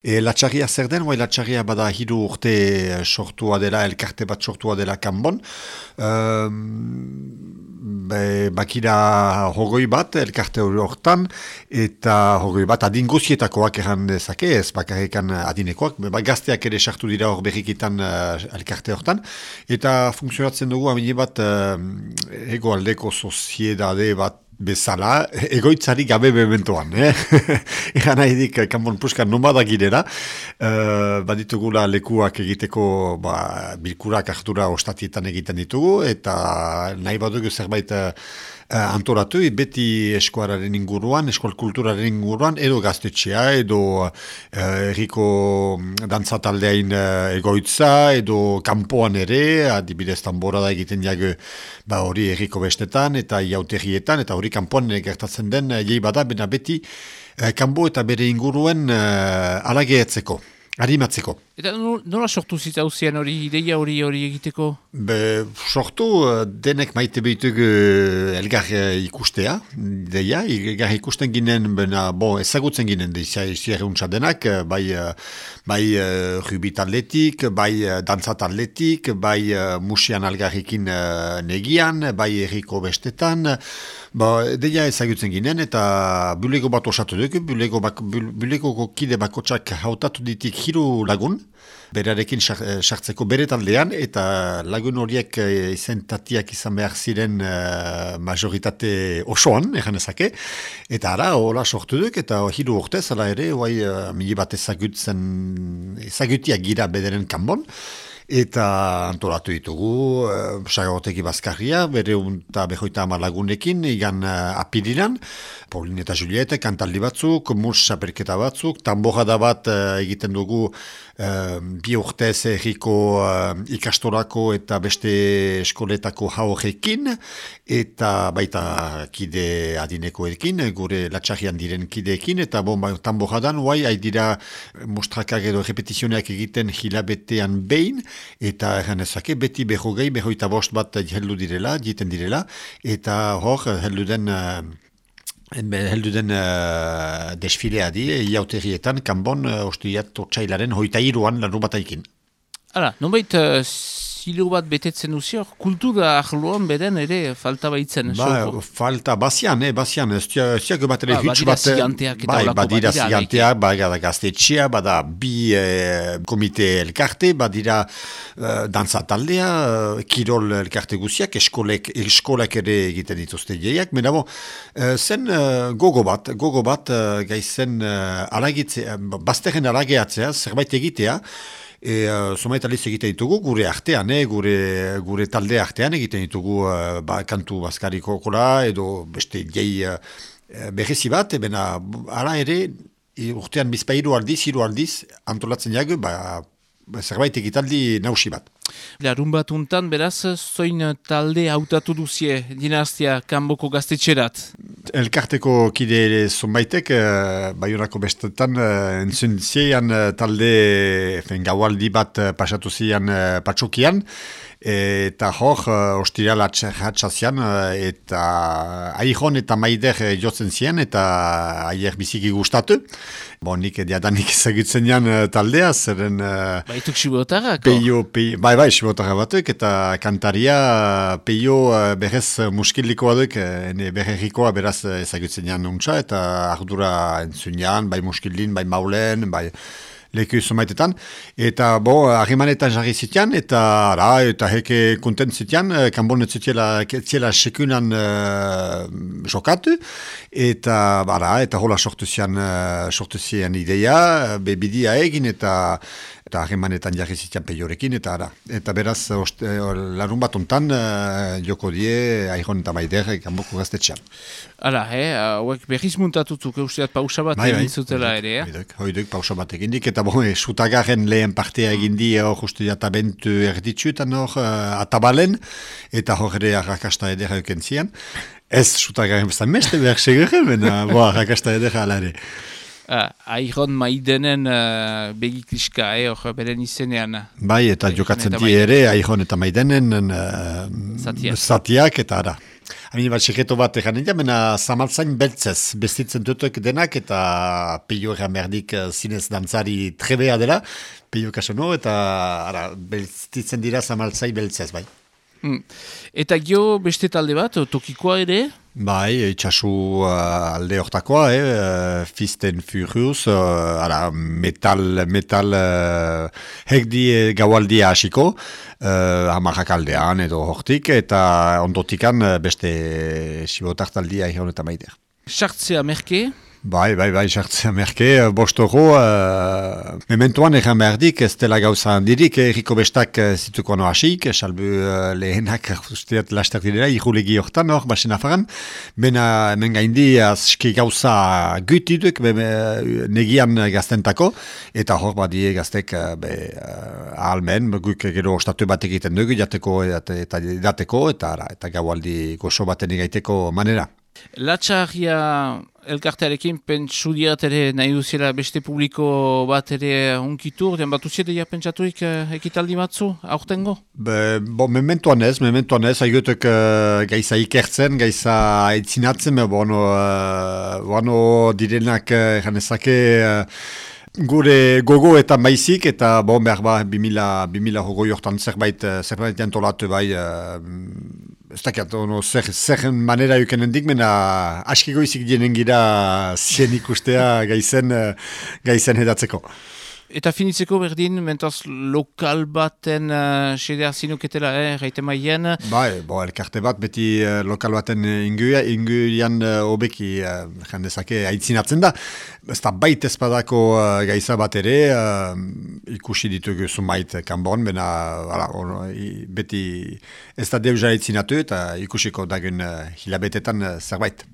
Latxarria zer den, latxarria bada 3 urte sortua dela, elkarte bat sortua dela kanbon. Bakira 20 bat elkarte hortan, eta 20 bat adin guzietakoak erran dezake, ez bakarrikan adinekoak, gazteak ere sartu dira hor berrikitan elkarte hortan, eta funtzionatzen dugu amine bat egoaldeko soziedade bat bezala, egoitzari gabe bementoan. Egan nahi dik, kanbon puskan nomada girela, baditugula lekuak egiteko bilkurak hartura ostatietan egiten ditugu, eta nahi badugu zerbait antolatu, beti eskuararen inguruan, eskual kulturaren inguruan, edo gaztetxea, edo erriko dantzataldeain egoitza, edo kanpoan ere, adibidez tanborada egiten jago hori erriko bestetan, eta iauterrietan, eta hori kanpoan gertatzen den, jei bada, bena beti kanbo eta bere inguruen alageetzeko, animatzeko. Eta nola sortu zitzauzien hori, ideia hori egiteko? Sortu denek maite behitug elgar ikustea, ideia, elgar ikusten ginen, ezagutzen ginen izierruntza denak, bai rubit atletik, bai dantzat atletik, bai musian algarrikin negian, bai erriko bestetan, ideia ezagutzen ginen, eta bulego bat osatu duk, bulego kide bakotsak hautatu ditik 3 lagun, berarekin sartzeko bere taldean, eta lagun horiek izentatiak izan behar ziren majoritate osoan, egan ezake, eta ara, hola sortu duk, eta 3 urtez, ala ere, mili bat ezagutiak gira bederen kanbon, eta antolatu ditugu, sagoteki bazkarria, bere unta behoita lagunekin, igan apiriran, Paulin eta Juliette, kantaldi batzuk, mus saperketa batzuk, tambojada bat egiten dugu 2 urtez erriko ikastorako eta beste eskoletako haurrekin, eta baita kide adinekoekin, gure latxarrian diren kideekin, eta tambojadan, haidira mostrakak edo repetizioneak egiten hilabetean behin, eta erran ezake, beti behogei, behoita bost bat heldu direla, jiten direla, eta hor, heldu den desfilea di, iauterrietan, kanbon, ostuiat otsailaren 23an larru bataikin. Hala, nonbait zilo bat betetzen duzior, kultura ahloan beden ere falta baitzen. Falta, bazian, ziak bat ere hitz bat. Badira ziganteak eta olako badira ziganteak, badira gaztetxea, bada bi komite elkarte, badira dantza taldea, kirol elkarte guziak, eskolak ere egiten dituzte jeiak, mena zen gogo bat, gaizen bazterren alageatzea, zerbait egitea, Zomait aliz egiten ditugu, gure artean, gure talde artean egiten ditugu kantu bazkariko kola, edo beste jei berrezi bat, ara ere, urtean bizpairu aldiz, 3 aldiz, antolatzen jago, zerbait egitaldi nausi bat. Larun bat untan, beraz, zoin talde hautatu duzie dinastia kanboko gaztetxerat? Elkarteko kide zonbaitek, Baionako bestetan, entzun zian talde gaualdi bat pasatu zian patxokian, eta hor, ostiral hatxazian, eta aihon eta maider jotzen zian, eta aier biziki gustatu. Nik diadanik ezagutzen jan taldea, zeren... Baituk sibotarrak? Bai, sibotarra batuk, eta kantaria peio berrez muskilikoa duk, berrerikoa beraz ezagutzen jan untsa, eta ardura entzun jan, bai muskildin, bai maulen, bai... leku zumaitetan, eta harrimanetan jarri zitean, eta heke kontent zitean, kanbon etziela sekunan jokatu, eta hola sortu zian ideia, bidia egin, eta harrimanetan jarri zitean peiorekin, eta beraz, larun bat ontan, joko die, aihon eta maider, kanboko gaztetxean. Hala, hauek berriz muntatutzuk eusteat pausa bat egin zutela ere, Hoiduk pausa bat egin dik, eta sutagarren lehen partea egin di, justu jatabentu erditzu, eta atabalen, eta hor ere arrakasta edera euken zian. Ez sutagarren bezan meste behar segurren, arrakasta edera alare. Aihon maidenen begikliska, hor beren izenean. Bai, eta jokatzen di ere, aihon eta maidenen zatiak, eta ara. Hamin bat sekreto bat egan nintzen, mena zamaltzain beltzez, bestitzen dutuk denak, eta peio egan berdik zinez dantzari trebea dela, peio kasono, eta bestitzen dira zamaltzain beltzez, bai. Eta gio beste talde bat, tokikoa ere? Bai, itxasu alde hortakoa, Fist and Furious, metal hekdi gaualdia hasiko, hamarrak aldean edo hortik, eta ondotikan beste sibotartaldia egon eta maider. Sartzea merke? Bai, sartzea merke, bostoro, mementoan egan behardik, ez dela gauza handirik, erriko bestak zituko no hasik, salbu lehenak, usteat lastak direla, irulegi hortan hor, basen afaran, bena hemen gaindi aski gauza gutiduk, negian gaztentako, eta hor badie gaztek ahalmen, guk gero ostatu bat egiten dugu, jateko eta dateko, eta gaualdi goxo baten egaiteko manera. Latxarria elkartearekin pentsu diat ere nahi duziela beste publiko bat ere unkitu, den bat uziede ja pentsatuik ekitaldi batzu, aurtengo? Mementoan ez, haigutuk gaiza ikertzen, gaiza aitzinatzen, bono direnak janezake gure gogoetan baizik, eta behar ba 2000 hogoi hortan zerbait jantolatu bai, ez dakiat, zer manera euken mena askiko izik dienen gira zien ikustea gaizen edatzeko. Eta finitzeko berdin, mentaz lokal baten sedea zinuketela, gaite maien? Bai, elkarte bat beti lokal baten inguian obeki jandezake aitzinatzen da. Ez da bait ezpadako gaiza bat ere, ikusi ditugu zumait kanbon, beti ez da deuzara aitzinatu eta ikusiko dagun hilabetetan zerbait.